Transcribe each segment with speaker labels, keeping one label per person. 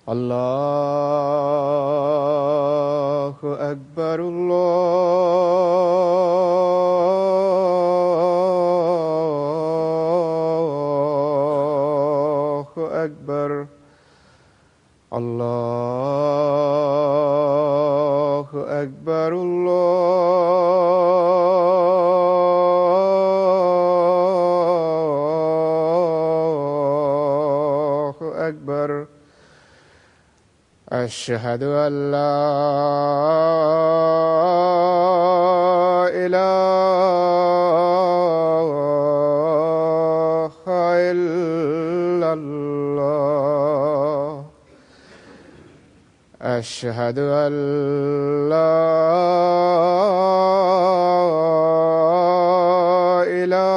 Speaker 1: الله أكبر الله أكبر الله أكبر الله أكبر أشهد أن لا إله إلا الله أشهد أن لا إله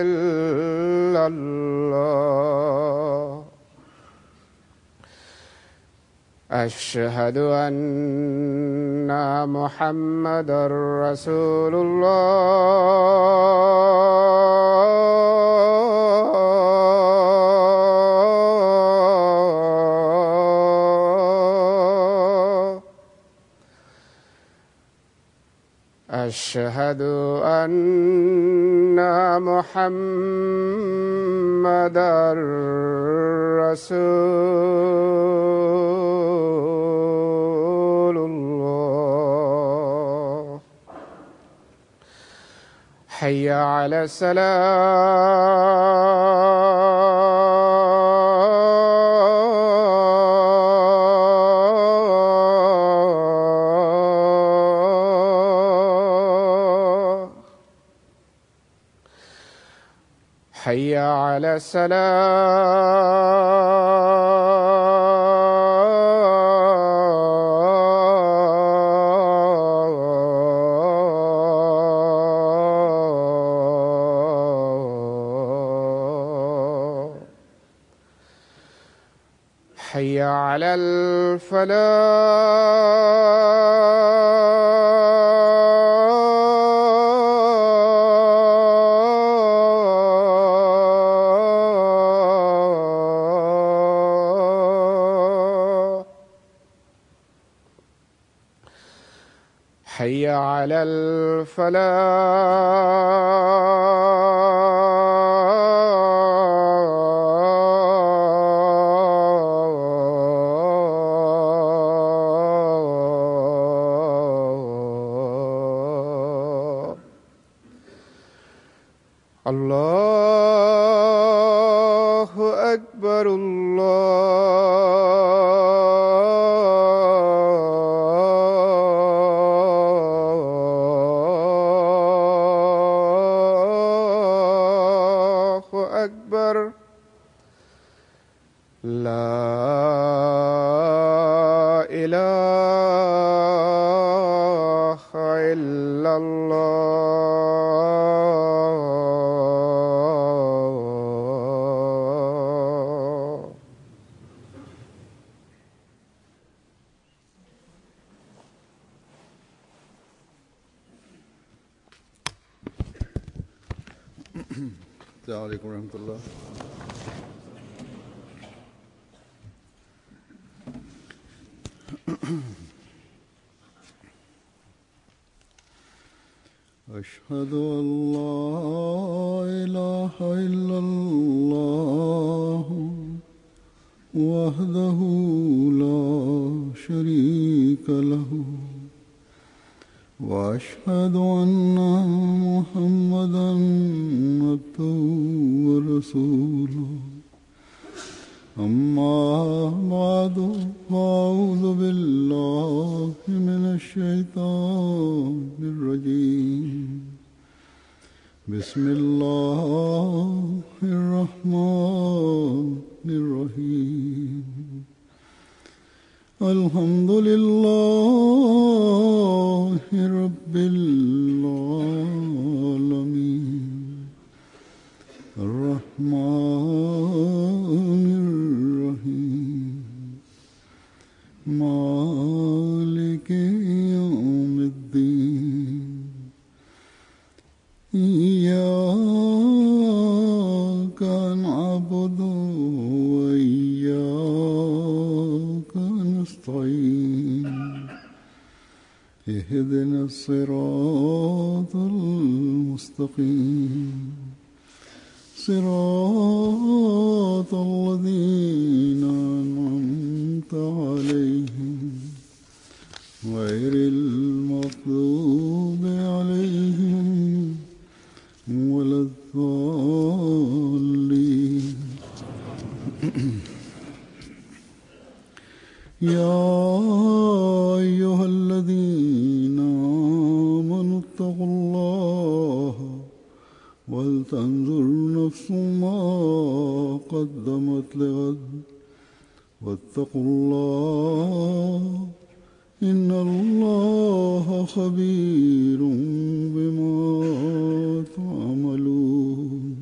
Speaker 1: إلا الله أشهد أن محمدا رسول الله أشهد أن محمدا رسول الله حي على السلام حي على السلام حي على الفلاح حي على الفلاح الله أكبر الله أكبر لا إله إلا الله.
Speaker 2: السلام عليكم ورحمة الله. أشهد أن لا إله إلا الله وحده لا شريك له وأشهد أن محمدا عبده ورسوله. أما بعد، فأعوذ بالله من الشيطان الرجيم. بسم الله الرحمن الرحيم. الحمد لله رب العالمين الرحمن الرحيم مالك يوم الدين. إياك اهدنا الصراط المستقيم صراط الذين أنعمت عليهم غير المغضوب عليهم ولا الضالين. يا أيها الذين آمنوا اتقوا الله ولتنظر نفس ما قدمت لغد واتقوا الله إن الله خبير بما تعملون.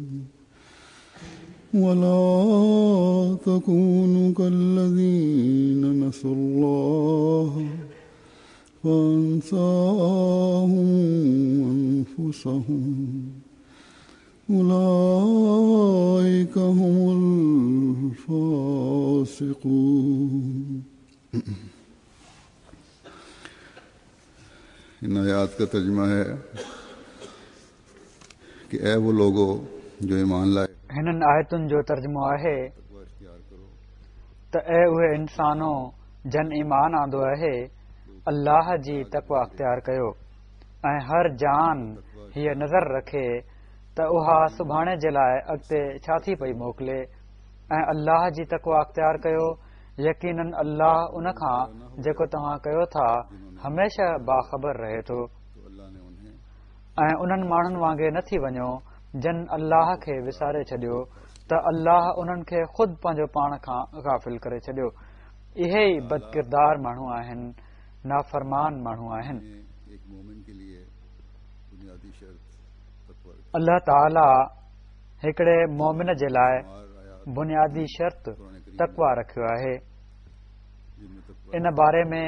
Speaker 2: ولا تكونوا كالذين نسوا الله فأنساهم أنفسهم أولئك هم الفاسقون.
Speaker 3: इन आयात का तर्जुमा है कि ए वो लोगो जो ईमान लाए।
Speaker 4: हिननि आयतुनि जो तर्जुमो आहे त ऐ उहे इंसानो जन ईमान आंदो आहे, अल्लाह जी तक़वा अख़्तियार कयो ऐं हर जान हीअ नज़र रखे त उहा सुभाणे जे लाइ अॻिते छा थी पई मोकिले ऐं अल्लाह जी तक़वा अख़्तियार कयो। यकीनन अल्लाह उन खां जेको तव्हां कयो था हमेशह बाख़बर रहे थो। ऐं उन्हनि माण्हुनि वांगे न थी वञो जन अल्लाह खे विसारे छॾियो त अल्लाह उन्हनि खे ख़ुदि पंहिंजो पाण खां गाफ़िल करे छॾियो। इहे ई बदकिरदार माण्हू आहिनि, नाफ़रमान माण्हू आहिनि। अल्लाह ताला हिकिड़े मोमिन जे लाइ बुनियादी शर्त तक़वा रखियो आहे। इन बारे में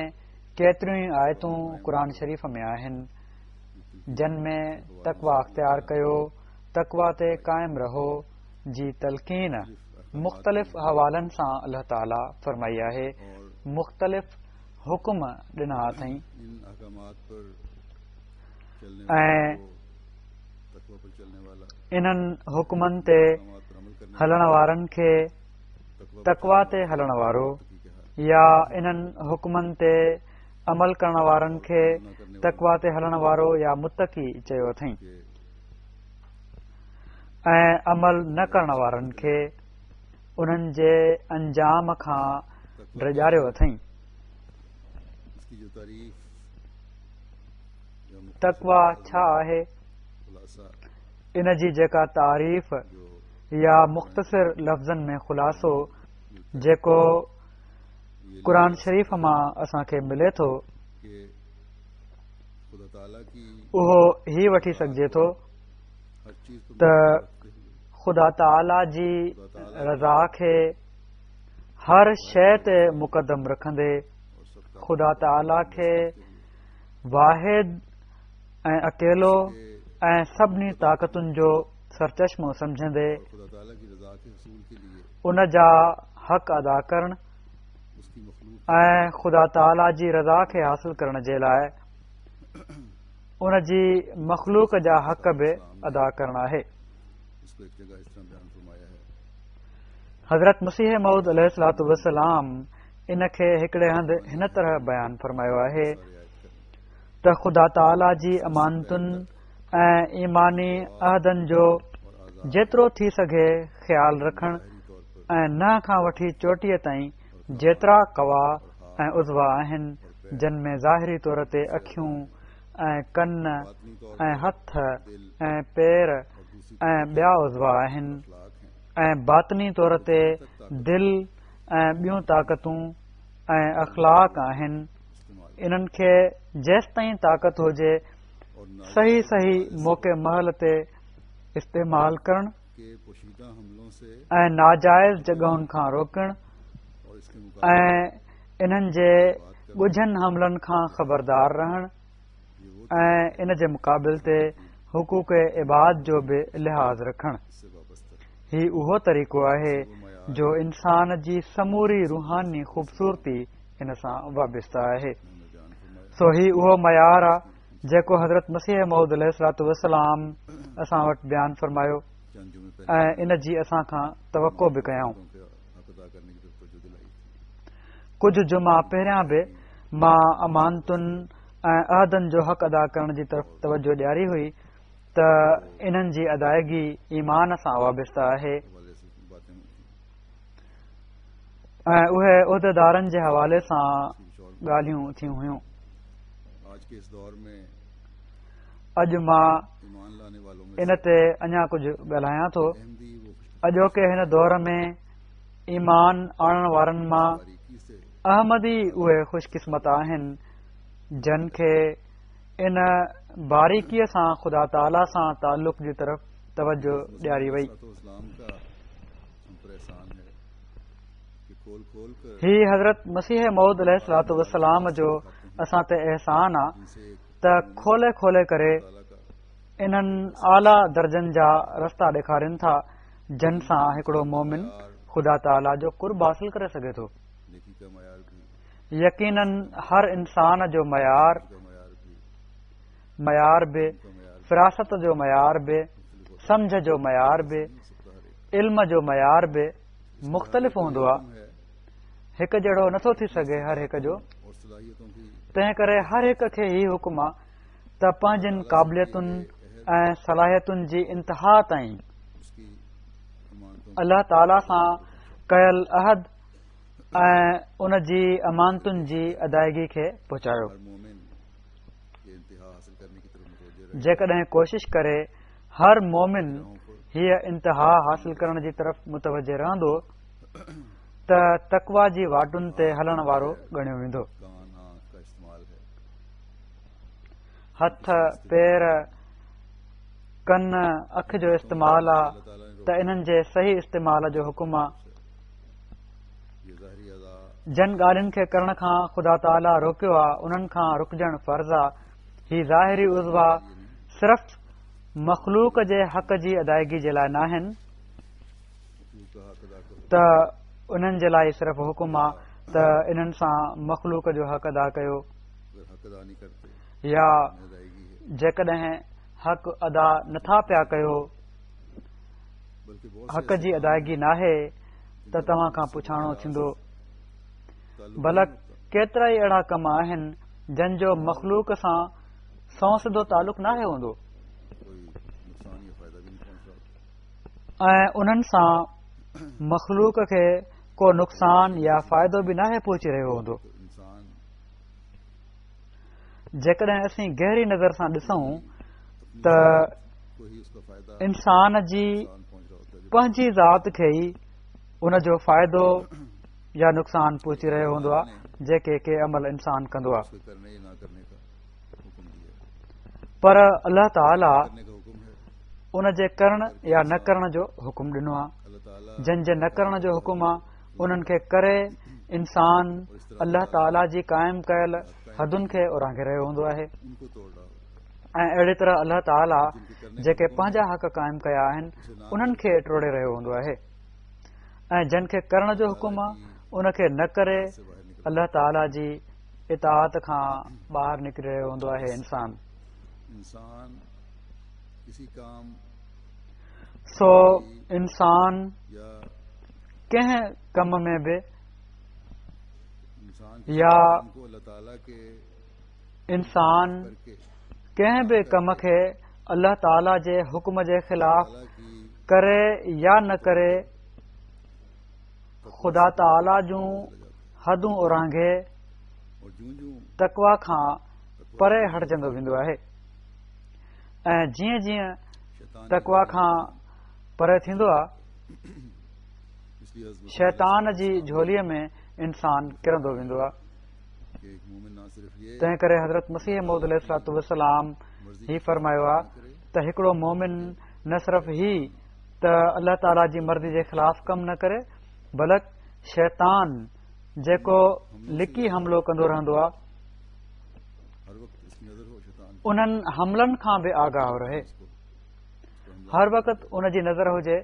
Speaker 4: केतिरियूं ई आयतूं क़ुरान शरीफ़ में आहिनि जन में तक़वा अख़्तियार कयो, तक़वा ते क़ाइम रहो जी तलक़ीन मुख़्तलिफ़ हवालनि सां अल्लाह ताला फरमाई आहे, मुख़्तलिफ़ हुकुम ॾिना अथई ऐं इन्हनि हुकुमनि ते हलण वारनि खे तक़वा ते हलण वारो या इन्हनि हुकुमनि ते अमल करण वारनि खे तक़वा ते हलण वारो या मुत्तकी चयो अथई ऐं अमल न करण वारनि खे उन्हनि जे अंजाम खां ड्रिॼारियो अथई। तक़वा छा आहे? इन जी जेका तारीफ़ या मुख़्तसिर लफ़्ज़नि में ख़ुलासो जेको क़ुरान शरीफ़ मां असांखे मिले थो उहो ही वठी सघिजे थो त ख़ुदा ताला जी रज़ा खे हर शइ ते मुक़दम रखंदे ख़ुदा ताला खे वाहिद ऐं अकेलो ऐं सभिनी ताक़तुनि जो सरचश्मो सम्झंदे उन जा हक़ अदा करण ऐं ख़ुदा ताला जी रज़ा खे हासिल करण जे लाइ उन जी मख़लूक जा हक़ बि अदा करण आहे। हज़रत मसीह मौऊद अलैहिस्सलातु वस्सलाम इन खे हिकिड़े हंधि हिन तरह बयानु फरमायो आहे त ख़ुदा ताला जी अमानतुनि ऐं ईमानी अहदनि जो जेतिरो थी सघे ख़्यालु रखण ऐं नह खां वठी चोटीअ ताईं जेतिरा कवा ऐं उज़वा आहिनि जन में ज़ाहिरी तौर ते अखियूं ऐं कन ऐं हथ ऐं पेर ऐं ॿिया उज़वा आहिनि ऐं बातिनी तौर ते दिलि ऐं ॿियूं ताक़तूं ऐं अख़लाक आहिनि। इन्हनि खे जेसिताईं ताक़त हुजे सही सही मौक़े महल ते इस्तेमाल करण ऐं नाजाइज़ जॻहुनि खां रोकण ऐं इन्हनि जे ॻुझनि हमलनि खां ख़बरदार रहण ऐं इन जे मुक़ाबिल ते हुकूक इबाद जो बि लिहाज़ रखण। ही उहो तरीक़ो आहे जो इंसान जी समूरी रूहानी ख़ूबसूरती इन सां वाबस्ता आहे। سو هي اهو معيار آ جيڪو حضرت مسيح موعود عليه الصلوة والسلام اسان وٽ بيان فرمايو ۽ ان جي اسان کان توقع به ڪيائون. ڪجهه جمعا پهريان به مان امانتن ۽ عهدن جو حق ادا ڪرڻ جي طرف توجه ڏياري هئي ته انهن جي ادائگي ايمان سان وابسته آهي. ۽ اهي عهديدارن جي حوالي سان ڳالهيون ٿيون هيون. اڄ مان ان تي اڃا ڪجهه ڳالهايان ٿو. اڄوڪي هن دور ۾ ايمان آڻڻ وارن مان احمدي اهي خوش قسمت آهن جن کي ان باريڪيء سان خدا تعاليٰ سان تعلق جي طرف توجه ڏياري وئي. هي حضرت مسيح موعود عليه الصلوة والسلام جو اسان تي احسان آ ته کولي کولي ڪري انهن اعليٰ درجن جا رستا ڏيکارين ٿا جن سان هڪڙو مومن خدا تعاليٰ جو قرب حاصل ڪري سگهي ٿو. يقيناً هر انسان جو معيار معيار به، فراست جو معيار به، سمجهه جو معيار به، علم جو معيار به مختلف هوندو آهي. هڪ جهڙو نٿو ٿي سگهي هر هڪ جو. تنهن ڪري هر هڪ کي هي حڪم آ ته پنهنجين قابليتن ۽ صلاحيتن جي انتها تائين الله تعاليٰ سان ڪيل عهد ۽ ان جي امانتن جي ادائگي کي پهچايو. جيڪڏهن ڪوشش ڪري هر مومن هيء انتها حاصل ڪرڻ جي طرف متوجه رهندو ته تقويٰ جي واٽن تي هلڻ وارو ڳڻيو ويندو. هٿ، پير، ڪن، اک جو استعمال آ ته انهن جي صحيح استعمال جو حڪم آ. جن ڳالهين کي ڪرڻ کان خدا تعاليٰ روڪيو آ انهن کان رڪجڻ فرض آ. هي ظاهري عضوا صرف مخلوق جي حق جي ادائگي جي لاء ناهن ته انهن جي لاء صرف حڪم آ ته انهن سان مخلوق جو حق ادا ڪيو يا جيڪڏهن حق ادا نٿا پيا ڪيو حق جي ادائگي ناهي ته توهان کان پڇاڻو ٿيندو بلڪ ڪيترا ئي اهڙا ڪم آهن جن جو مخلوق سان سنئون سڌو تعلق ناهي هوندو ۽ انهن سان مخلوق کي ڪو نقصان يا فائدو به ناهي پهچي رهيو هوندو. جيڪڏهن اسين گهري نظر سان ڏسون ته انسان جي پنهنجي ذات کي ئي ان جو فائدو يا نقصان پهچي رهيو هوندو آهي جيڪي ڪي عمل انسان ڪندو آهي پر الله تعالي ان جي ڪرڻ يا نه ڪرڻ جو حڪم ڏنو آهي جن جي نه ڪرڻ جو حڪم آهي انهن کي ڪري انسان الله تعالي جي قائم ڪيل حدن کي اورانگهي رهيو هوندو آهي ۽ اهڙي طرح الله تعالي جيڪي پنهنجا حق قائم ڪيا آهن انهن کي ٽوڙي رهيو هوندو آهي ۽ جن کي ڪرڻ جو حڪم آهي ان کي نه ڪري الله تعالي جي اطاعت کان ٻاهر نڪري رهيو هوندو آهي انسان سو انسان ڪنهن ڪم ۾ به يا انسان ڪنهن به ڪم کي الله تعالي جي حڪم جي خلاف ڪري يا نه ڪري خدا تعالي جون حدون اورانگهي تقويٰ کان پري هٽجندو ويندو آهي ۽ جيئن جيئن تقويٰ کان پري ٿيندو آهي شيطان جي جهوليء ۾ انسان ڪرندو ويندو آهي. تنهن ڪري حضرت مسيح موعود عليه الصلوة والسلام هي فرمايو آهي ته هڪڙو مومن نه صرف هي ته الله تعاليٰ جي مرضي جي خلاف ڪم نه ڪري بلڪ شيطان جيڪو لڪي حملو ڪندو رهندو آهي انهن حملن کان به آگاهه رهي. هر وقت ان جي نظر هجي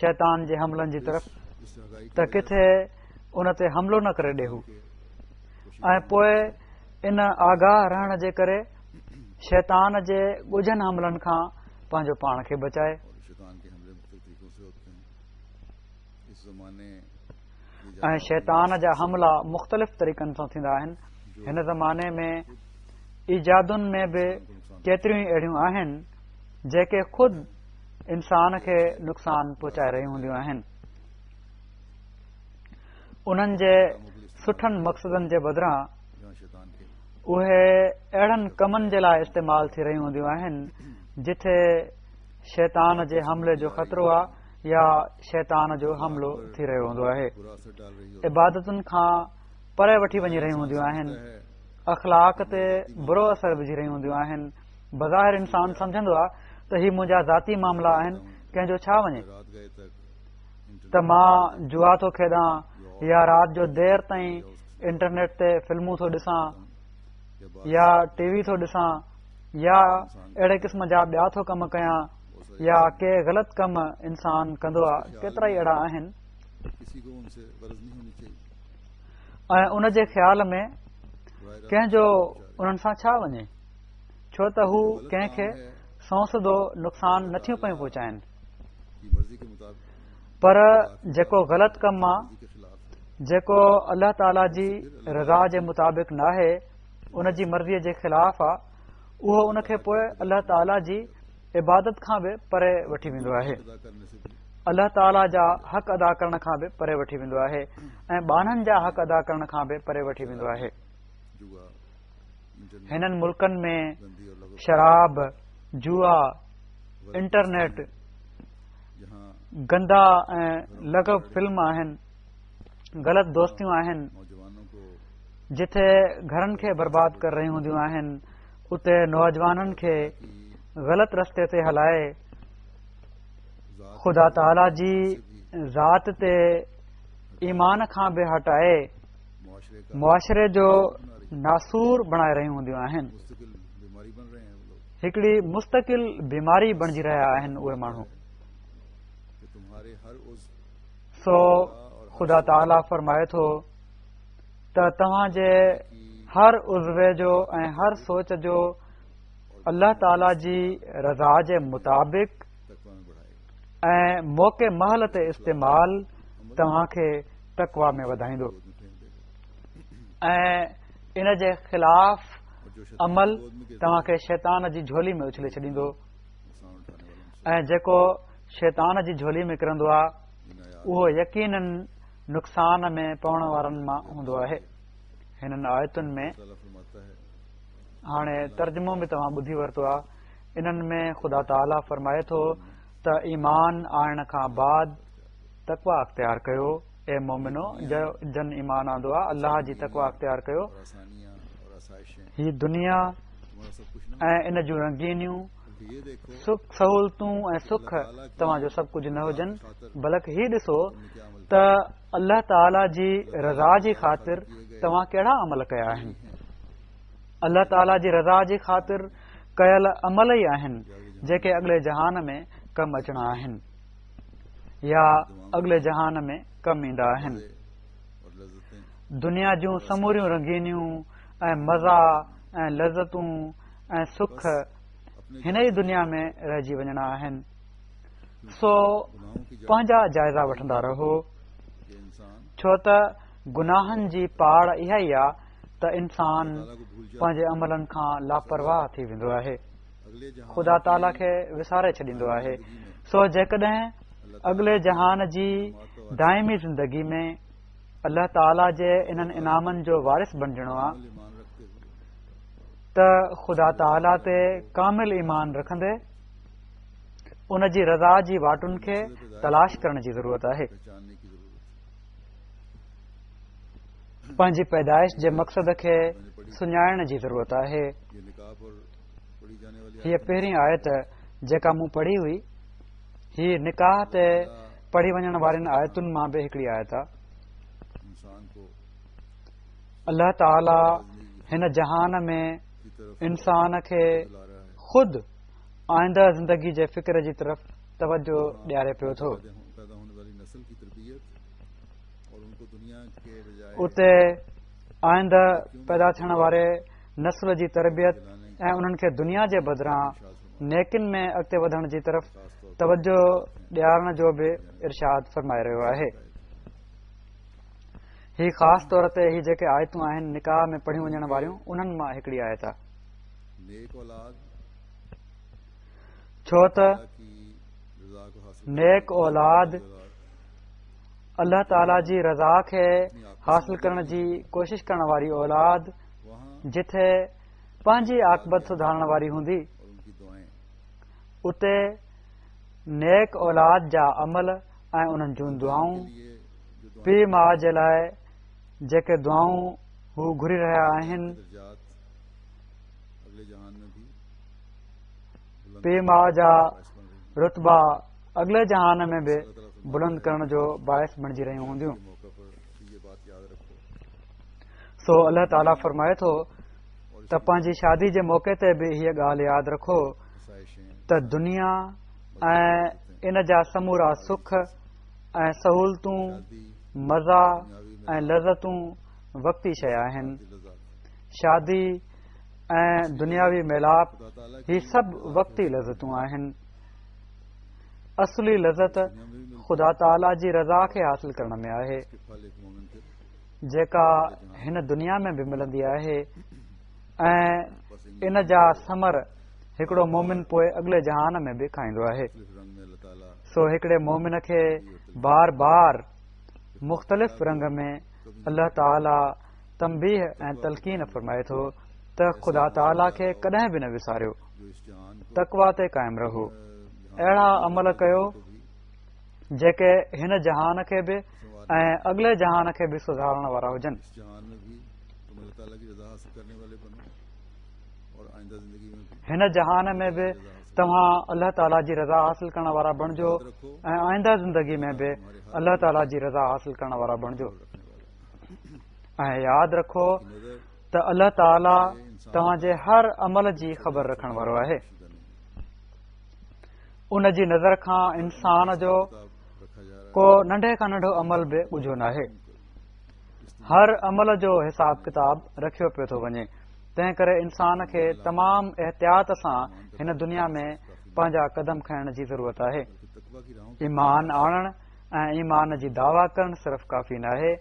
Speaker 4: شيطان جي حملن جي طرف ته ڪٿي ان تي حملو نه ڪري ڏي هو ۽ پوء ان آگاهه رهڻ جي ڪري شيطان جي ڳجهن حملن کان پنهنجو پاڻ کي بچائي. ۽ شيطان جا حملا مختلف طريقن سان ٿيندا آهن. هن زماني ۾ ايجادن ۾ به ڪيتريون ئي اهڙيون آهن جيڪي خود انسان کي نقصان پهچائي رهيون هونديون آهن. انهن جي سٺن مقصدن جي بدران اهي اهڙن ڪمن جي لاء استعمال ٿي رهيون هونديون آهن جتي شيطان جي حملي جو خطرو آهي يا شيطان جو حملو ٿي رهيو هوندو آهي. عبادتن کان پري وٺي وڃي رهيون هونديون آهن. اخلاق تي برو اثر وجهي رهيون هونديون آهن. بظاهر انسان سمجهندو آهي ته هي منهنجا ذاتي معاملا آهن، ڪنهن جو ڇا وڃي ته مان جوا ٿو کيڏان يا رات جو دير تائين انٽرنيٽ تي فلمون ٿو ڏسان يا ٽي وي ٿو ڏسان يا اهڙي قسم جا ٻيا ٿو ڪم ڪيان يا ڪي غلط ڪم انسان ڪندو آ، ڪيترا ئي اهڙا آهن. ۽ ان جي خيال ۾ ڪنهن جو انهن سان ڇا وڃي، ڇو ته هو ڪنهن کي سنئون سڌو نقصان نٿيون پيون پهچائن. پر جيڪو غلط ڪم آ، جيڪو الله تعاليٰ جي رضا جي مطابق ناهي، ان جي مرضيء جي خلاف آ، اهو ان کي پوء الله تعاليٰ جي عبادت کان به پري وٺي ويندو آهي، الله تعاليٰ جا حق ادا ڪرڻ کان به پري وٺي ويندو آهي ۽ ٻانهن جا حق ادا ڪرڻ کان به پري وٺي ويندو آهي. هنن ملڪن ۾ شراب، جوا، انٽرنيٽ، گندا ۽ لغو فلم آهن، غلط دوستيون آهن، جتي گهرن کي برباد ڪري رهيون هونديون آهن، اتي نوجوانن کي غلط رستي تي هلائي خدا تعاليٰ جي ذات تي ايمان کان به هٽائي معاشري جو ناسور بڻائي رهيون هونديون آهن. هڪڙي مستقل بيماري بڻجي رهيا آهن اهي ماڻهو. سو خدا تعاليٰ فرمائي ٿو ته توهان جي هر عضوي جو ۽ هر سوچ جو الله تعاليٰ جي رضا جي مطابق ۽ موقع مهل تي استعمال توهان کي تقويٰ ۾ وڌائيندو ۽ ان جي خلاف عمل توهان کي شيطان جي جهولي ۾ اڇلي ڇڏيندو ۽ جيڪو شيطان جي جهولي ۾ ڪرندو آهي اهو يقيناً نقصان ۾ پوڻ وارن مان هوندو آهي. هنن آيتن ۾ هاڻي ترجمو به توهان ٻڌي ورتو آهي. انهن ۾ خدا تعاليٰ فرمائي ٿو ته ايمان آڻڻ کان بعد تقويٰ اختيار ڪيو، اي مومنو جن ايمان آندو آهي الله جي تقويٰ اختيار ڪيو. هي دنيا ۽ ان جون رنگينيون، سک سهولتون ۽ سک توهان جو سڀ ڪجهه نه هجن، بلڪ هي ڏسو ته الله تعاليٰ جي رضا جي خاطر توهان ڪهڙا عمل ڪيا آهن. الله تعاليٰ جي رضا جي خاطر ڪيل عمل ئي آهن جيڪي اڳلي جهان ۾ ڪم اچڻا آهن يا اڳلي جهان ۾ ڪم ايندا آهن. دنيا جون سموريون رنگينيون ۽ مزا ۽ لذتون ۽ سک هن ئي دنيا ۾ رهجي وڃڻا آهن، سو پنهنجا جائزا وٺندا رهو، ڇو ته گناهن جي پاڙ اها ئي آ ته انسان پنهنجي عملن کان لاپرواهه ٿي ويندو آهي، خدا تعاليٰ کي وساري ڇڏيندو آهي. سو جيڪڏهن اڳلي جهان جي دائمي زندگي ۾ الله تعاليٰ جي انهن انعامن جو وارث بڻجڻو آ ته خدا تعاليٰ تي ڪامل ايمان رکندي ان جي رضا جي واٽن کي تلاش ڪرڻ جي ضرورت آهي. پنهنجي پيدائش جي مقصد کي سڃاڻڻ جي ضرورت آهي. هيء پهرين آيت جيڪا مون پڙهي هئي، هي نڪاح تي پڙهي وڃڻ وارين آيتن مان به هڪڙي آيت آهي. الله تعاليٰ هن جهان ۾ انسان کي خود آئنده زندگي جي فڪر جي طرف توجه ڏياري پيو ٿو. اتي آئنده پيدا ٿيڻ واري نسل جي تربيت ۽ انهن کي دنيا جي بدران نيڪين ۾ اڳتي وڌڻ جي طرف توجه ڏيارڻ جو به ارشاد فرمائي رهيو آهي. هي خاص طور تي هي جيڪي آيتون آهن نڪاح ۾ پڙهيون وڃڻ واريون انهن مان هڪڙي آيت آهي. ڇو ته نيڪ اولاد الله تعالي جي رضا کي حاصل ڪرڻ جي ڪوشش ڪرڻ واري اولاد جٿي پنهنجي عاقبت سڌارڻ واري هوندي اتي نيڪ اولاد جا عمل ۽ انهن جون دعائون پيء ماء جي لاء جيڪي دعائون هو گهري رهيا آهن پيء ماء جا رتبا اڳلي جهان ۾ به بلند ڪرڻ جو باعث بڻجي رهيون هونديون. سو الله تعاليٰ فرمائي ٿو ته پنهنجي شادي جي موقعي تي به هيء ڳالهه ياد رکو ته دنيا ۽ ان جا سمورا سک ۽ سهولتون، مزا ۽ لذتون وقتي شيء آهن. شادي ۽ دنياوي ميلاپ هي سڀ وقتي لذتون آهن. اصلي لذت خدا تعاليٰ جي رضا کي حاصل ڪرڻ ۾ آهي، جيڪا هن دنيا ۾ به ملندي آهي ۽ ان جا ثمر هڪڙو مومن پوء اڳلي جهان ۾ به کائيندو آهي. سو هڪڙي مومن کي بار بار مختلف رنگ ۾ الله تعاليٰ تنبيهه ۽ تلقين فرمائي ٿو ته خدا تعاليٰ کي ڪڏهن به نه وساريو، تقويٰ تي قائم رهو، اهڙا عمل ڪيو جيڪي هن جهان کي به ۽ اڳلي جهان کي به سڌارڻ وارا هجن. هن جهان ۾ به توهان الله تعاليٰ جي رضا حاصل ڪرڻ وارا بڻجو ۽ آئنده زندگي ۾ به الله تعاليٰ جي رضا حاصل ڪرڻ وارا بڻجو. ۽ ياد رکو ته الله تعاليٰ توهان جي هر عمل جي خبر رکڻ وارو آهي. ان جي نظر کان انسان جو ڪو ننڍي کان ننڍو عمل به ڳجهو ناهي. هر عمل جو حساب ڪتاب رکيو پيو ٿو وڃي. تنهن ڪري انسان کي تمام احتياط سان هن دنيا ۾ پنهنجا قدم کڻڻ جي ضرورت آهي. ايمان آڻڻ ۽ ايمان جي دعويٰ ڪرڻ صرف ڪافي ناهي،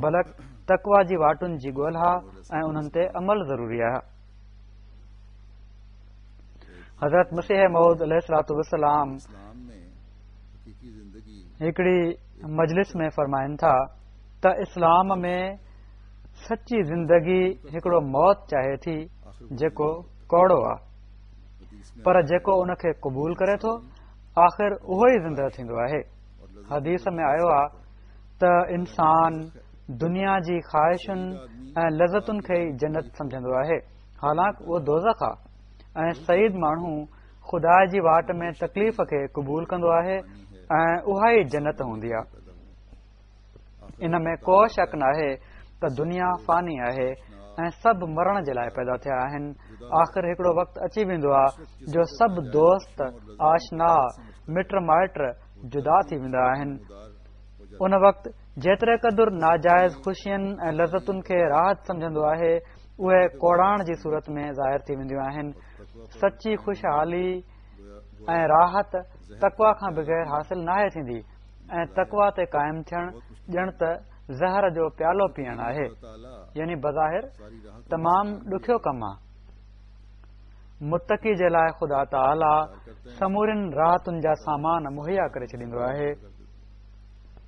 Speaker 4: بلڪ تقويٰ جي واٽن جي ڳولها ۽ انهن تي عمل ضروري آهي. حضرت مسيح موعود عليه الصلوة والسلام هڪڙي مجلس ۾ فرمائن ٿا ته اسلام ۾ سچي زندگي هڪڙو موت چاهي ٿي جيڪو ڪوڙو آ، پر جيڪو ان کي قبول ڪري ٿو آخر اهو ئي زنده ٿيندو آهي. حديث ۾ آيو آ ته انسان دنيا جي خواهشن ۽ لذتن کي ئي جنت سمجهندو آهي، حالانڪ اهو دوزخ آ ۽ سعيد ماڻهو خدا جي واٽ ۾ تڪليف کي قبول ڪندو آهي ۽ اها ئي جنت هوندي آ. ان ۾ ڪو شڪ ناهي ته دنيا فاني آهي ۽ سڀ مرڻ جي لاء پيدا ٿيا آهن. آخر هڪڙو وقت اچي ويندو آ جو سڀ دوست، آشنا، مٽ مائٽ جدا ٿي ويندا آهن. ان وقت جيتري قدر ناجائز خوشين ۽ لذتن کي راحت سمجهندو آهي، اهي ڪوڙاڻ جي صورت ۾ ظاهر ٿي وينديون آهن. سچي خوشحالي ۽ راحت تقويٰ کان بغير حاصل ناهي ٿيندي. ۽ تقويٰ تي قائم ٿيڻ ڄڻ ته زهر جو پيالو پيئڻ آهي، يعني بظاهر تمام ڏکيو ڪم آ. متقي جي لاء خدا تعاليٰ سمورين راحتن جا سامان مهيا ڪري ڇڏيندو آهي،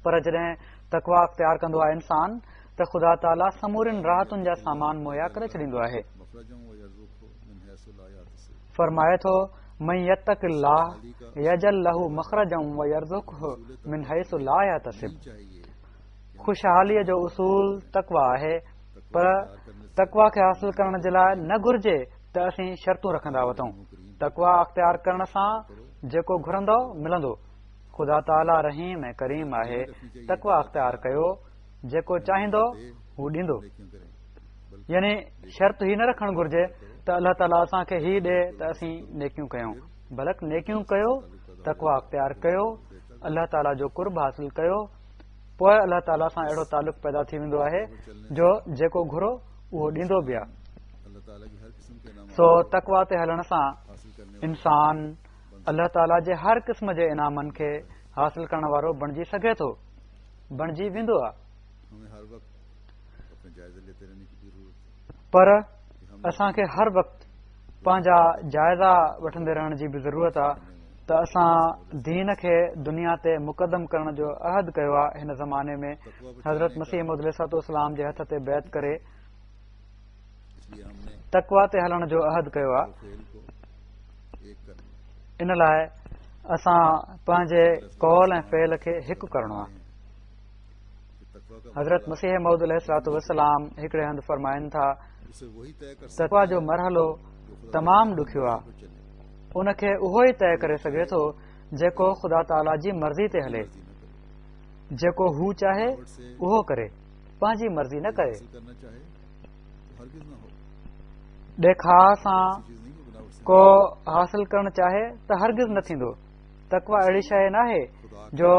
Speaker 4: پر جڏهن تقويٰ اختيار ڪندو آهي انسان ته خدا تعاليٰ سمورين راحتن جا سامان مهيا ڪري ڇڏيندو آهي. فرمائي ٿو، من يتق الله يجعل له مخرجا ويرزقه من حيث لا يحتسب خوشحاليء جو اصول تقويٰ آهي، پر تقويٰ کي حاصل ڪرڻ جي لاء نه گهرجي ته اسين شرطون رکندا وتون. تقويٰ اختيار ڪرڻ سان جيڪو گهرندؤ ملندو. خدا تعاليٰ رحيم ۽ ڪريم آهي، تقويٰ اختيار ڪيو، جيڪو چاهيندو هو ڏيندو. يعني شرط هي نه رکڻ گهرجي ته الله تعاليٰ اسان کي هي ڏي ته اسين نيڪيون ڪيون، بلڪ نيڪيون ڪيو، تقويٰ اختيار ڪيو، الله تعاليٰ جو قرب حاصل ڪيو، پوء الله تعاليٰ سان اهڙو تعلق پيدا ٿي ويندو آهي جو جيڪو گهرو اهو ڏيندو به آهي. سو تقويٰ تي هلڻ سان انسان الله تعاليٰ جي هر قسم جي انعامن کي حاصل ڪرڻ وارو بڻجي سگهي ٿو، بڻجي ويندو آهي. پر اسان کي هر وقت پنهنجا جائزا وٺندي رهڻ جي به ضرورت آهي ته اسان دين کي دنيا تي مقدم ڪرڻ جو عهد ڪيو آهي. هن زماني ۾ حضرت مسيح موعود عليه الصلوة والسلام جي هٿ تي بيعت ڪري تقويٰ تي هلڻ جو عهد ڪيو آهي. ان لاء اسان پنهنجي قول ۽ فعل کي هڪ ڪرڻو آهي. حضرت مسيح موعود عليه الصلوة والسلام هڪڙي هنڌ فرمائن ٿا، تقويٰ جو مرحلو تمام ڏکيو آهي، ان کي اهو ئي طئي ڪري سگهي ٿو جيڪو خدا تعاليٰ جي مرضي تي هلي، جيڪو هو چاهي اهو ڪري، پنهنجي مرضي نه ڪري. ڏيکاء سان ڪو حاصل ڪرڻ چاهي ته هرگز نه ٿيندو. تقويٰ اهڙي شيء ناهي جو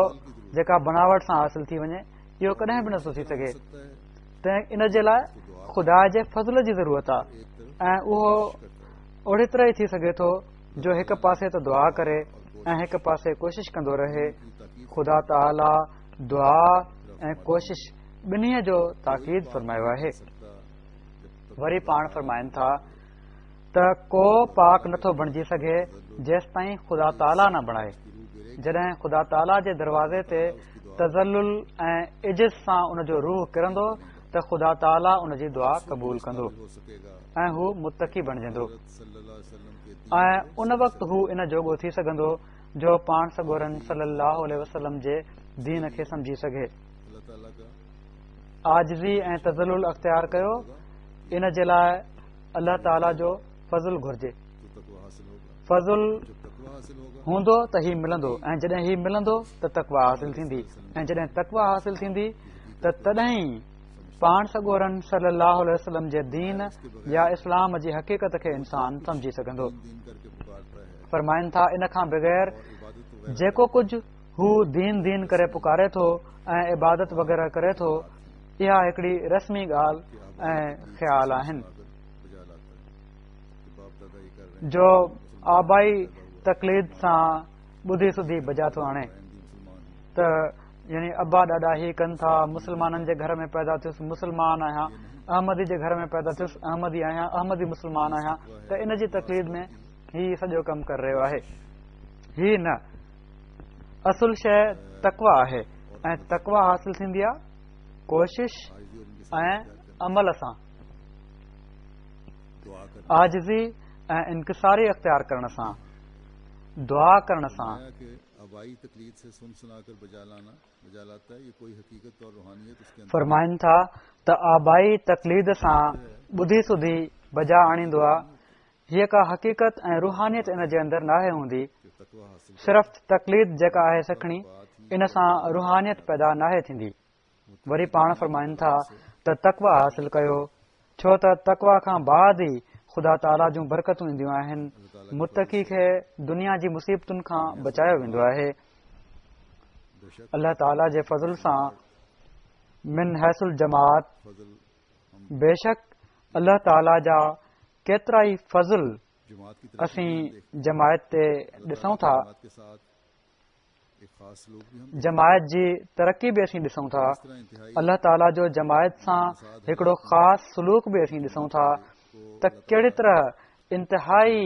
Speaker 4: جيڪا بناوٽ سان حاصل ٿي وڃي، اهو ڪڏهن به نٿو ٿي سگهي. تنهن ان جي لاء خدا جي فضل جي ضرورت آهي ۽ اهو اهڙي طرح ئي ٿي سگهي ٿو جو هڪ پاسي ته دعا ڪري ۽ هڪ پاسي ڪوشش ڪندو رهي. خدا تعاليٰ دعا ۽ ڪوشش ٻنهي جو تاڪيد فرمايو آهي. وري پاڻ فرمائن ٿا ته ڪو پاڪ نٿو بڻجي سگهي جيستائين خدا تعاليٰ نه بڻائي. جڏهن خدا تعاليٰ جي دروازي تي تذلل ۽ عجز سان ان جو روح ڪرندو ته خدا تعاليٰ ان جي دعا قبول ڪندو ۽ هو متقي بڻجندو ۽ ان وقت هو ان جوڳو ٿي سگهندو جو پاڻ سڳورن صلي الله عليه وسلم جي دين کي سمجهي سگهي. عاجزي ۽ تذلل اختيار ڪيو، ان جي لاء الله تعاليٰ جو فضل گهرجي. فضل هوندو ته هي ملندو ۽ جڏهن هي ملندو ته تقويٰ حاصل ٿيندي ۽ جڏهن تقويٰ حاصل ٿيندي ته تڏهن ئي پاڻ سڳورن صلي الله عليه وسلم جي دين يا اسلام جي حقيقت کي انسان سمجهي سگهندو. فرمائن ٿا ان کان بغير جيڪو ڪجهه هو دين دين ڪري پڪاري ٿو ۽ عبادت وغيره ڪري ٿو، اها هڪڙي رسمي ڳالهه ۽ خيال آهن جو آبائي تقليد سان ٻڌي سڌي بجا ٿو آڻي ته يعني ابا ڏاڏا هي ڪن ٿا، مسلمانن جي گهر ۾ پيدا ٿيس مسلمان آهيان، احمدي جي گهر ۾ پيدا ٿيس احمدي آهيان، احمدي مسلمان آهيان، ته ان جي تقليد ۾ هي سڄو ڪم ڪري رهيو آهي. هي نه، اصل شيء تقويٰ آهي ۽ تقويٰ حاصل ٿيندي آهي ڪوشش ۽ عمل سان، عاجزي ۽ انڪساري اختيار ڪرڻ سان، دعا ڪرڻ سان. فرمائن ٿا ته آبائي تقليد سان ٻڌي سڌي بجا آڻيندو آ، هيء ڪا حقيقت ۽ روحانيت ان جي اندر ناهي هوندي. صرف تقليد جيڪا آهي سکڻي، ان سان روحانيت پيدا ناهي ٿيندي. وري پاڻ فرمائن ٿا ته تقويٰ حاصل ڪيو، ڇو ته تقويٰ کان بعد ئي خدا تعاليٰ جون برڪتون اينديون آهن. متقي کي دنيا جي مصيبتن کان بچايو ويندو آهي. الله تعاليٰ جي فضل سان من حيث الجماعت بيشڪ الله تعاليٰ جا ڪيترائي فضل اسين جماعت تي ڏسون ٿا، جماعت جي ترقي به اسين ڏسون ٿا، الله تعاليٰ جو جماعت سان هڪڙو خاص سلوڪ به اسين ڏسون ٿا ته ڪهڙي طرح انتهائي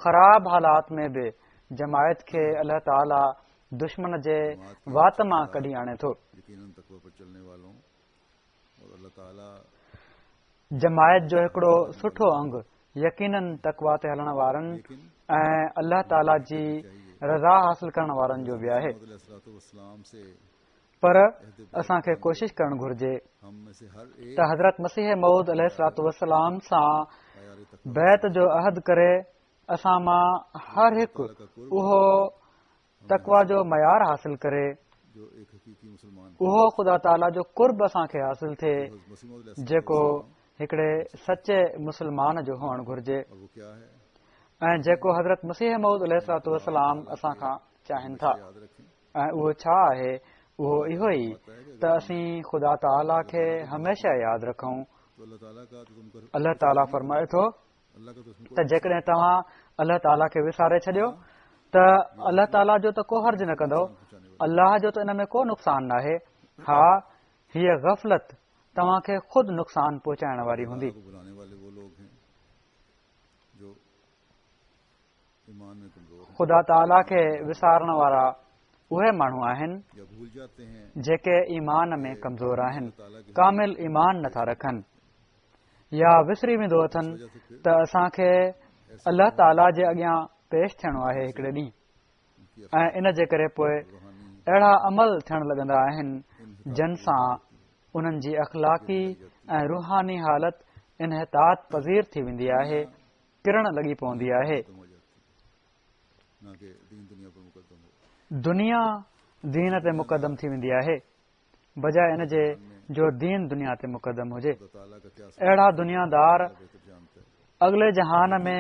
Speaker 4: خراب حالات ۾ به جماعت کي الله تعاليٰ دشمن جي وات مان ڪڍي آڻي ٿو. جماعت جو هڪڙو سٺو انگ يقيناً تقويٰ تي هلڻ وارن ۽ الله تعاليٰ جي رضا حاصل ڪرڻ وارن جو به آهي، پر اسان کي ڪوشش ڪرڻ گهرجي ته حضرت مسيح موعود عليه الصلوة والسلام سان بيعت جو عهد ڪري اسان مان هر هڪ اهو تقويٰ جو معيار حاصل ڪري، اهو خدا تعاليٰ جو قرب اسان کي حاصل ٿئي جيڪو هڪڙي سچي مسلمان جو هئڻ گهرجي ۽ جيڪو حضرت مسيح موعود عليه الصلوة والسلام اسان کان چاهين ٿا. ۽ اهو ڇا آهي؟ اهو اهو ئي ته اسين خدا تعاليٰ کي هميشه ياد رکون. الله تعاليٰ فرمائي ٿو ته جيڪڏهن توهان الله تعاليٰ کي وساري ڇڏيو ته الله تعاليٰ جو ته ڪو حرج نه ڪندؤ، الله جو ته ان ۾ ڪو نقصان ناهي. ها، هيء غفلت توهان کي خود نقصان پهچائڻ واري هوندي. خدا تعاليٰ کي وسارڻ وارا اهي ماڻهو آهن جيڪي ايمان ۾ ڪمزور آهن، ڪامل ايمان نٿا رکن يا وسري ويندو اٿن ته اسان کي الله تعاليٰ جي اڳيان پيش ٿيڻو آهي هڪڙي ڏينهن ۽ ان جي ڪري پوء اهڙا عمل ٿيڻ لڳندا آهن جن سان انهن جي اخلاقي ۽ روحاني حالت انحطاط پذير ٿي ويندي آهي، ڪرڻ لڳي پوندي آهي. دنيا دين تي مقدم ٿي ويندي آهي بجاء ان جي جو دين دنيا تي مقدم هجي. اهڙا دنيا دار اڳلي جهان ۾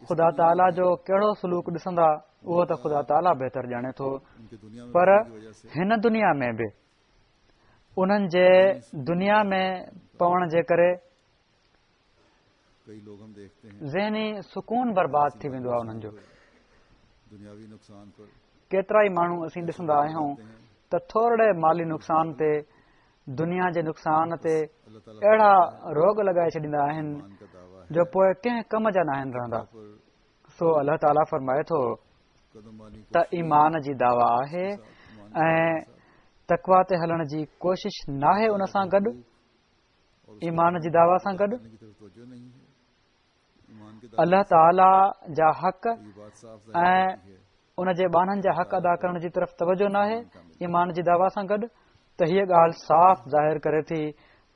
Speaker 4: خدا تعاليٰ جو ڪهڙو سلوڪ ڏسندا اهو ته خدا تعاليٰ بهتر ڄاڻي ٿو پر هن دنيا ۾ به انهن جي دنيا ۾ پوڻ جي ڪري ذهني سڪون برباد ٿي ويندو آهي انهن جو. ڪيترا ئي ماڻهو اسين ڏسندا آهيون ته ٿورڙي مالي نقصان تي دنيا جي نقصان تي اهڙا روڳ لڳائي ڇڏيندا آهن جو پوء ڪنهن ڪم جا ناهن رهندا. سو الله تعاليٰ فرمائي ٿو ته ايمان جي دعويٰ آهي ۽ تقويٰ تي هلڻ جي ڪوشش ناهي ان سان گڏ ايمان جي دعويٰ سان گڏ الله تعاليٰ جا حق ۽ ان جي ٻانهن جا حق ادا ڪرڻ جي طرف توجه ناهي ايمان جي دعويٰ سان گڏ ته هيء ڳالهه صاف ظاهر ڪري ٿي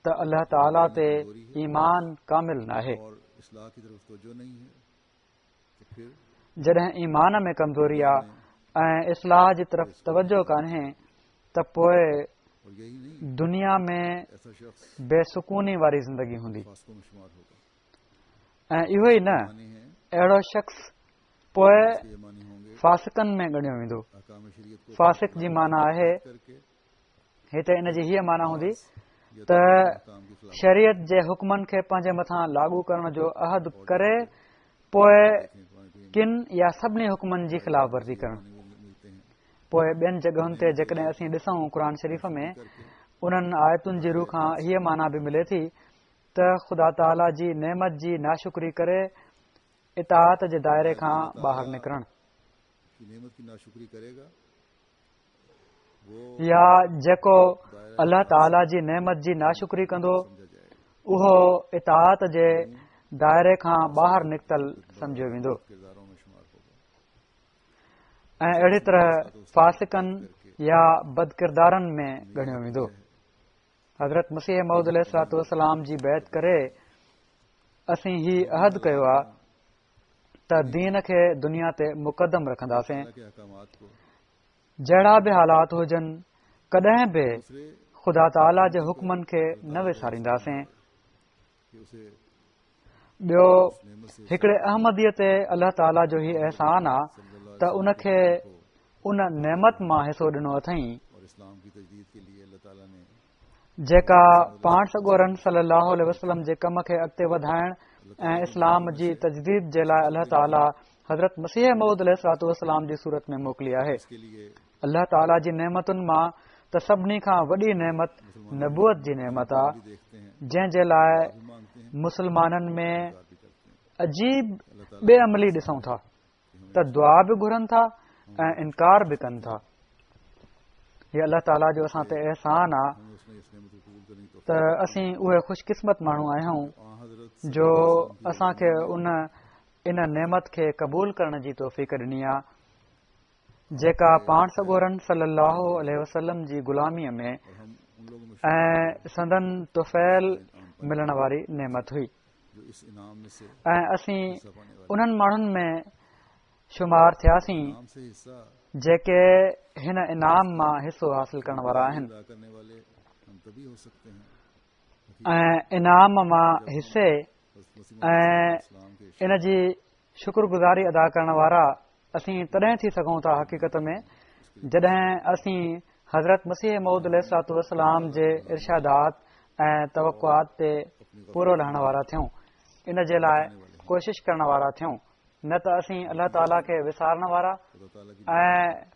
Speaker 4: ته الله تعاليٰ تي ايمان ڪامل ناهي. جڏهن ايمان ۾ ڪمزوري آ ۽ اصلاح جي طرف توجه ڪانهي ته پوء دنيا ۾ بي سڪوني واري زندگي هوندي ۽ اهو ئي نه اهڙو شخص پوء فاسقن ۾ ڳڻيو ويندو. فاسق جي معنيٰ آهي هتي ان جي هيء معنيٰ هوندي ته شريعت جي حڪمن کي پنهنجي مٿان لاڳو ڪرڻ جو عهد ڪري پوء ڪن يا سڀني حڪمن جي خلاف ورزي ڪرڻ. پوء ٻين جڳهن تي جيڪڏهن اسين ڏسون قرآن شريف ۾ انهن آيتن جي رو کان هيء معنيٰ به ملي ٿي ته خدا تعاليٰ جي نعمت جي ناشڪري ڪري اطاعت جي دائري کان ٻاهر نڪرڻ. يا جيڪو الله تعاليٰ جي نعمت جي ناشڪري ڪندو اهو اطاعت جي دائري کان ٻاهر نڪتل سمجهيو ويندو ۽ اهڙي طرح فاسقن يا بدڪردارن ۾ ڳڻيو ويندو. حضرت مسيح موعود عليه الصلوة والسلام جي بيعت ڪري اسين هي عهد ڪيو آ ته دين کي دنيا تي مقدم رکنداسين. جهڙا به حالات هجن ڪڏهن به خدا تعاليٰ جي حڪمن کي نه وسارينداسين. ٻيو هڪڙي احمديء تي الله تعاليٰ جو هي احسان آ ته ان کي ان نعمت مان حصو ڏنو اٿئين جيڪا پاڻ سڳورن صلي الله عليه وسلم جي ڪم کي اڳتي وڌائڻ ۽ اسلام جي تجديد جي لاء الله تعاليٰ حضرت مسيح موعود عليه الصلوة والسلام جي صورت ۾ موڪلي آهي. الله تعاليٰ جي نعمتن مان ته سڀني کان وڏي نعمت نبوت جي نعمت آ، جنهن جي لاء مسلمانن ۾ عجيب بي عملي ڏسون ٿا ته دعا به گهرن ٿا ۽ انڪار به ڪن ٿا. هي الله تعاليٰ جو اسان تي احسان آ ته اسين اهي خوش قسمت ماڻهو آهيون جو اسان کي ان ان نعمت کي قبول ڪرڻ جي توفيق ڏني آ جيڪا پاڻ سڳورن صلي الله عليه وسلم جي غلاميء ۾ ۽ سندن طفيل ملڻ واري نعمت هئي ۽ اسين انهن ماڻهن ۾ شمار ٿياسين جيڪي هن انعام مان حصو حاصل ڪرڻ وارا آهن ۽ انعام مان حصي ۽ ان جي شڪر گذاري ادا ڪرڻ وارا اسين تڏهن ٿي سگهون ٿا حقيقت ۾ جڏهن اسين حضرت مسيح موعود عليه الصلوة والسلام جي ارشادات ۽ توقعات تي پورو لهڻ وارا ٿيون، ان جي لاء ڪوشش ڪرڻ وارا ٿيون، نه ته اسين الله تعاليٰ کي وسارڻ وارا ۽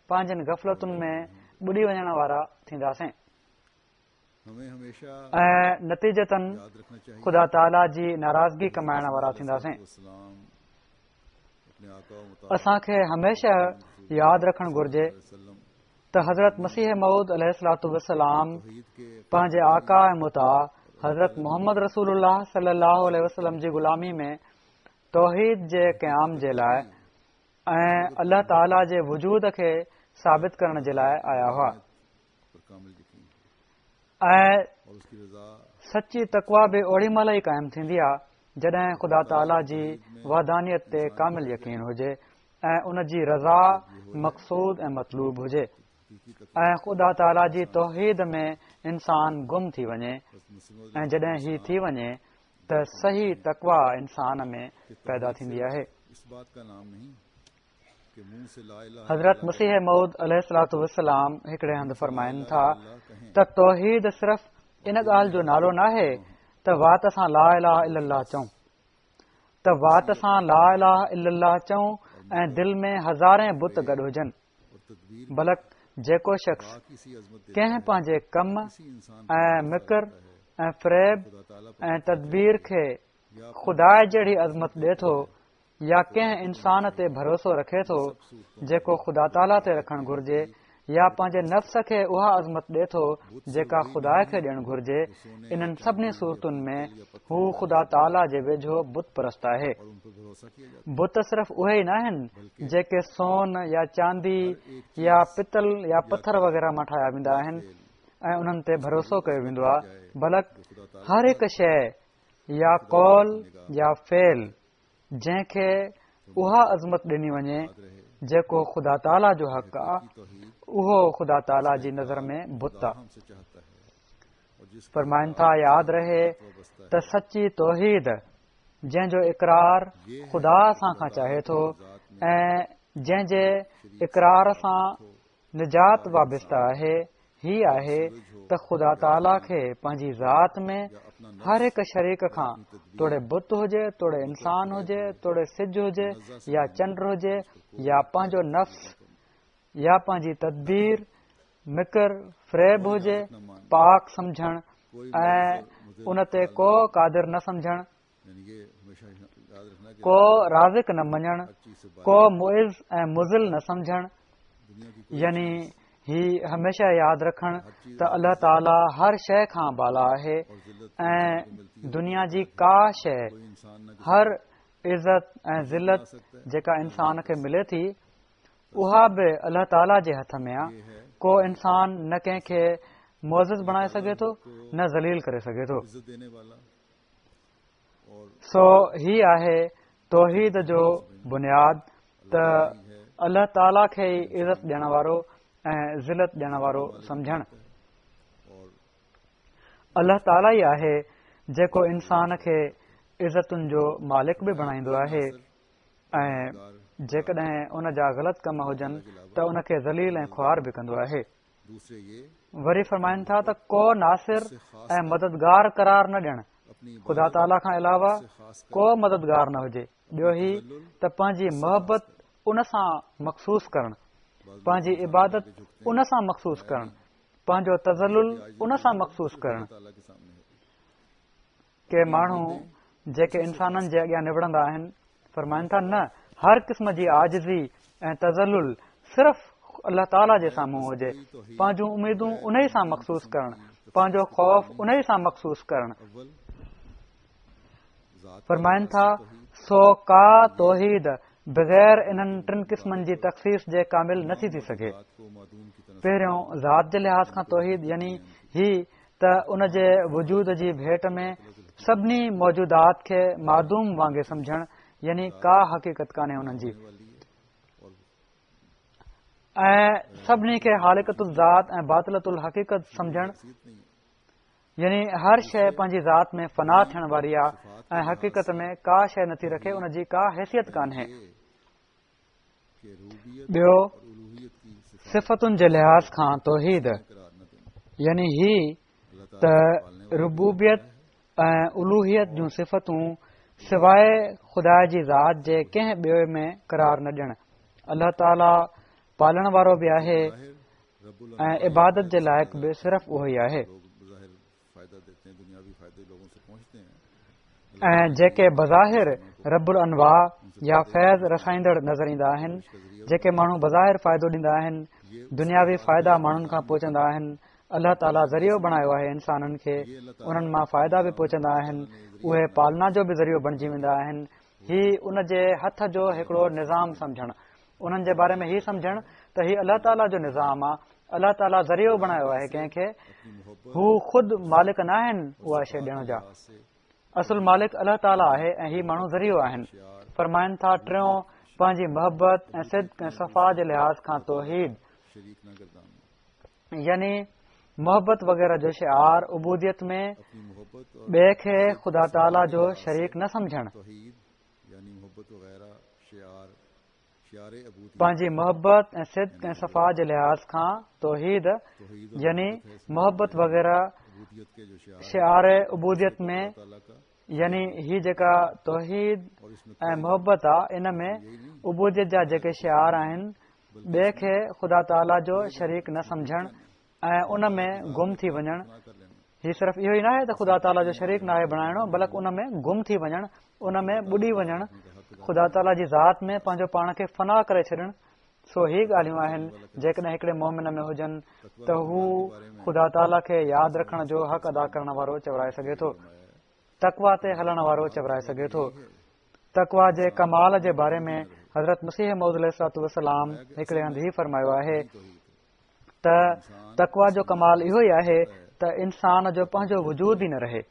Speaker 4: پنهنجين غفلتن ۾ ٻڏي وڃڻ وارا ٿينداسين ۽ نتيجتاً خدا تعاليٰ جي ناراضگي ڪمائڻ وارا ٿينداسين. اسان کي هميشه ياد رکڻ گهرجي ته حضرت مسيح موعود عليه الصلوة والسلام پنهنجي آقا ۽ مطاع حضرت محمد رسول الله صلي الله عليه وسلم جي غلامي ۾ توحيد جي قيام جي لاء ۽ الله تعاليٰ جي وجود کي ثابت ڪرڻ جي لاء آيا هئا ۽ سچي تقويٰ به اوڙي مهل ئي قائم ٿيندي آهي جڏهن خدا تعاليٰ جي وحدانيت تي ڪامل يقين هجي ۽ ان جي رضا مقصود ۽ مطلوب هجي ۽ خدا تعاليٰ جي توحيد ۾ انسان گم ٿي وڃي ۽ جڏهن هي ٿي وڃي ته صحيح تقويٰ انسان ۾ پيدا ٿيندي آهي. حضرت مسيح موعود عليه الصلوة والسلام هڪڙي هنڌ فرمائن ٿا ته توحيد صرف ان ڳالهه جو نالو ناهي ته وات سان لا اله الا الله چئون ته وات سان لا اله الا الله چئون ۽ دل ۾ هزارين بت گڏ هجن بلڪ جيڪو شخص ڪنهن پنهنجي ڪم ۽ مڪر ۽ فريب ۽ تدبير کي خدا جهڙي عظمت ڏي ٿو يا ڪنهن انسان تي ڀروسو رکي ٿو جيڪو خدا تعاليٰ تي رکڻ گهرجي يا پنهنجي نفس کي اها عظمت ڏي ٿو جيڪا خدا کي ڏيڻ گهرجي، انهن سڀني صورتن ۾ هو خدا تعاليٰ جي ويجهو بت پرست آهي. بت صرف اهي ئي ناهن جيڪي سون يا چاندي يا پتل يا پٿر وغيره مان ٺاهيا ويندا آهن ۽ انهن تي ڀروسو ڪيو ويندو آهي بلڪ هر هڪ شيء يا قول يا فعل جنهن کي اها عظمت ڏني وڃي جيڪو خدا تعاليٰ جو حق آ اهو خدا تعاليٰ جي نظر ۾ بت آ. فرمائن ٿا ياد رهي ته سچي توحيد جنهن جو اقرار خدا اسان کان چاهي ٿو ۽ جنهن جي اقرار سان نجات وابسته آهي، هي آهي ته خدا تعاليٰ کي پنهنجي ذات ۾ هر هڪ شريڪ کان توڙي بت هجي توڙي انسان هجي توڙي سج هجي يا چنڊ هجي يا پنهنجو نفس يا پنهنجي تدبير مڪر فريب هجي پاڪ سمجهڻ ۽ ان تي ڪو قادر نه سمجهڻ ڪو رازق نه مڃڻ، ڪو معز ۽ مذل نه سمجهڻ، يعني هي هميشه ياد رکڻ ته الله تعاليٰ هر شيء کان بالا آهي ۽ دنيا جي ڪا شيء هر عزت ۽ ذلت جيڪا انسان کي ملي ٿي اها به الله تعاليٰ جي هٿ ۾ آ، ڪو انسان نه ڪنهن کي معزز بڻائي سگهي ٿو نه ذليل ڪري سگهي ٿو. سو هي آهي توحيد جو بنياد ته الله تعاليٰ کي ئي عزت ڏيڻ وارو ۽ ذلت ڏيڻ وارو سمجهڻ. الله تعاليٰ ئي آهي جيڪو انسان کي عزتن جو مالڪ به بڻائيندو آهي ۽ جيڪڏهن ان جا غلط ڪم هجن ته ان کي ذليل ۽ خوار به ڪندو آهي. وري فرمائن ٿا ته ڪو ناصر ۽ مددگار قرار نه ڏيڻ خدا تعاليٰ کان علاوه ڪو مددگار نه هجي ٻيو هي ته پنهنجي محبت ان سان مخصوص ڪرڻ پنهنجي عبادت ان سان مخصوص ڪرڻ پنهنجو تذلل ان سان مخصوص ڪرڻ ڪي ماڻهو جيڪي انسانن جي اڳيان نوڙندا آهن، فرمائن ٿا، نه، هر قسم جي عاجزي ۽ تذلل صرف الله تعاليٰ جي سامهون هجي، پنهنجون اميدون انهي سان مخصوص ڪرڻ، پنهنجو خوف انهي سان مخصوص ڪرڻ. فرمائن ٿا، سو ڪا توحيد بغير انهن ٽن قسمن جي تخصيص جي ڪامل نٿي ٿي سگهي. پهريون ذات جي لحاظ کان توحيد يعني هي ته ان جي وجود جي ڀيٽ ۾ سڀني موجودات کي معدوم وانگي سمجهڻ يعني ڪا حقيقت ڪانهي انهن جي ۽ سڀني کي هالڪة الذات ۽ باطلة الحقيقت سمجهڻ يعني هر شيء پنهنجي ذات ۾ فنا ٿيڻ واري آهي ۽ حقيقت ۾ ڪا شيء نٿي رکي ان جي ڪا حيثيت ڪانهي ٻيو صفتن جي لحاظ کان توحيد يعني هي ته ربوبيت ۽ الوهيت جون صفتون سواء خدا جي ذات جي ڪنهن ٻئي ۾ قرار نه ڏيڻ. الله تعاليٰ پالڻ وارو به آهي ۽ عبادت جي لائق به صرف اهو ئي آهي. ۽ جيڪي بظاهر رب الانواع يا فيض رسائيندڙ نظر ايندا آهن، جيڪي ماڻهو بظاهر فائدو ڏيندا آهن، دنياوي فائدا ماڻهن کان پهچندا آهن، الله تعاليٰ ذريعو بڻايو آهي انسانن کي انهن مان فائدا به پهچندا آهن اهي پالنا جو به ذريعو بڻجي ويندا آهن هي ان جي هٿ جو هڪڙو نظام سمجهڻ انهن جي باري ۾ هي سمجهڻ ته هي الله تعاليٰ جو نظام آ الله تعاليٰ ذريعو بڻايو آهي ڪنهن کي هو خود مالڪ نه آهن اها شيء ڏيڻ جا اصل مالڪ الله تعاليٰ آهي ۽ هي ماڻهو ذريعو آهن فرمائن ٿا ٽيون پنهنجي محبت ۽ صدق ۽ صفا جي لحاظ کان توحيد يعني محبت وغيره جو شعار عبوديت ۾ ٻئي کي خدا تعاليٰ جو شريڪ نه سمجهڻ. پنهنجي محبت ۽ صدق ۽ صفا جي لحاظ کان توحيد يعني محبت وغيره شعار عبوديت ۾ يعني هي جيڪا توحيد ۽ محبت آ ان ۾ عبوديت جا جيڪي شعار آهن ٻئي کي خدا تعاليٰ جو شريڪ نه سمجهڻ ۽ ان ۾ گم ٿي وڃڻ هي صرف اهو ئي ناهي ته خدا تعاليٰ جو شريڪ ناهي بڻائڻو بلڪ ان ۾ گم ٿي وڃڻ ان ۾ ٻڏي وڃڻ خدا تعاليٰ جي ذات ۾ پنهنجو پاڻ کي فنا ڪري ڇڏڻ سو هي ڳالهيون آهن جيڪڏهن هڪڙي مومن ۾ هجن ته هو خدا تعاليٰ کي ياد رکڻ جو حق ادا ڪرڻ وارو چورائي سگهي ٿو تقويٰ تي هلڻ وارو چورائي سگهي ٿو تقويٰ جي ڪمال جي باري ۾ حضرت مسيح موعود عليه الصلوة والسلام هڪڙي هنڌ هي فرمايو آهي ته تقويٰ جو ڪمال اهو ئي آهي ته انسان جو پنهنجو وجود ئي نه رهي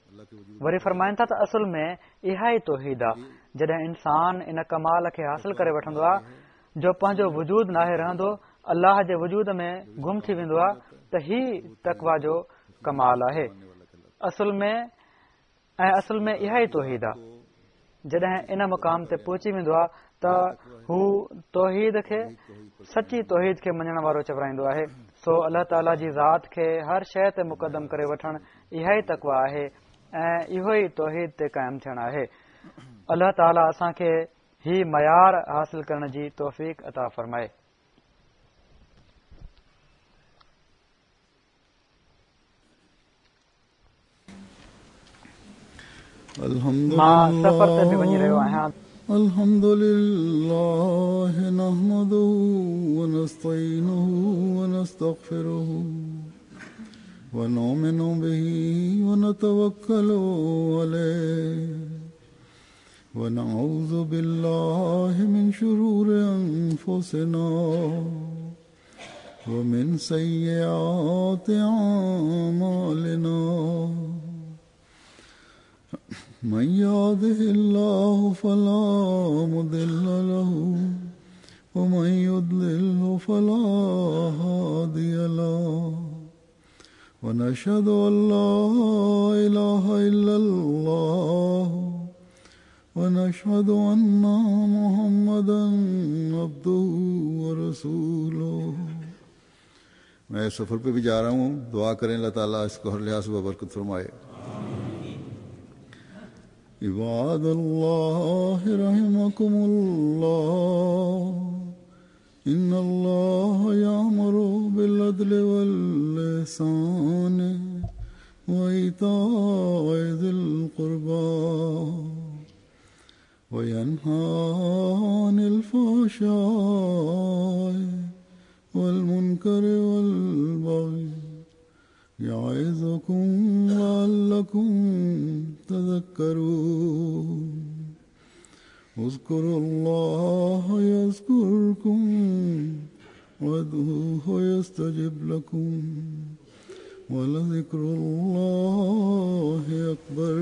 Speaker 4: وري فرمائن ٿا ته اصل ۾ اها ئي توحيد آ جڏهن انسان ان ڪمال کي حاصل ڪري وٺندو آ جو پنهنجو وجود ناهي رهندو الله جي وجود ۾ گم ٿي ويندو آ ته هي تقويٰ جو ڪمال آهي اصل ۾ ۽ اصل ۾ اها ئي توحيد آ جڏهن ان مقام تي پهچي ويندو آ ته هو توحيد کي سچي توحيد کي مڃڻ وارو چورائيندو آهي سو الله تعاليٰ جي ذات کي هر شيء تي مقدم ڪري وٺڻ اها ئي تقويٰ آهي ۽ اهو ئي توحيد تي قائم ٿيڻ آهي الله تعاليٰ اسان کي هي معيار حاصل ڪرڻ جي توفيق عطا فرمائي. مان سفر تي به وڃي رهيو آهيان.
Speaker 2: الحمد لله نحمده ونستعينه ونستغفره ونؤمن به ونتوكل عليه ونعوذ بالله من شرور أنفسنا ومن سيئات أعمالنا من يهده الله فلا مضل له ومن يضلله فلا هادي له ونشهد أن لا إله إلا الله ونشهد أن محمدا عبده ورسوله
Speaker 3: मैं सफ़र पे भी जा रहा हूँ दुआ करें अल्लाह ताला इसको हर लिहाज से बरकत फरमाए
Speaker 2: عباد الله رحمكم الله إن الله يأمر بالعدل والإحسان وإيتاء ذي القربى وينهى عن الفحشاء والمنكر والبغي يعظكم لعلكم تذكرون اذكروا الله يذكركم وادعوه يستجب لكم ولذكر الله أكبر.